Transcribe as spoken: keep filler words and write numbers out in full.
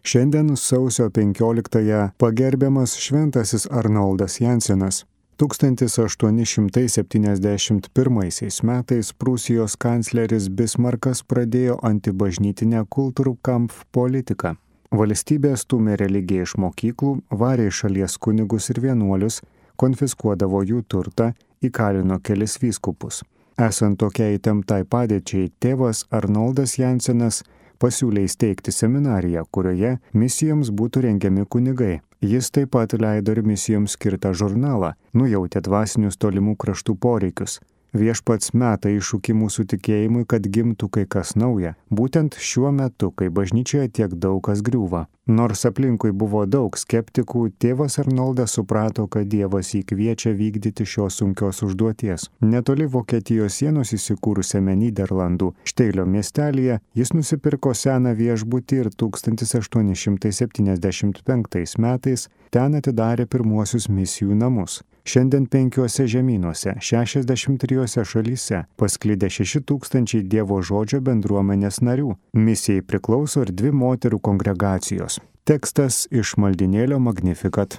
Šiandien sausio penkioliktąją pagerbiamas šventasis Arnoldas Jansenas. tūkstantis aštuoni šimtai septyniasdešimt pirmaisiais metais Prūsijos kancleris Bismarkas pradėjo antibažnytinę Kulturkampf politiką. Valstybė stūmė religiją iš mokyklų, varė į šalies kunigus ir vienuolius, konfiskuodavo jų turtą, įkalino kelis vyskupus. Esant tokiai įtemptai padėčiai, tėvas Arnoldas Jansenas pasiūlė įsteigti seminariją, kurioje misijoms būtų rengiami kunigai. Jis taip pat leido ir misijoms skirtą žurnalą, nujautė dvasinius tolimų kraštų poreikius. Viešpats meta iššūkį mūsų tikėjimui, kad gimtų kai kas nauja, būtent šiuo metu, kai bažnyčioje tiek daug kas griūva. Nors aplinkui buvo daug skeptikų, tėvas Arnoldas suprato, kad Dievas jį kviečia vykdyti šios sunkios užduoties. Netoli Vokietijos sienos įsikūrusiame Nyderlandų Šteilio miestelyje jis nusipirko seną viešbutį ir tūkstantis aštuoni šimtai septyniasdešimt penktais metais ten atidarė pirmuosius misijų namus. Šiandien penkiuose žemynuose, šešiasdešimt trijose šalyse pasklidė šeši tūkstančiai Dievo žodžio bendruomenės narių. Misijai priklauso ir dvi moterų kongregacijos. Tekstas iš maldynėlio Magnificat.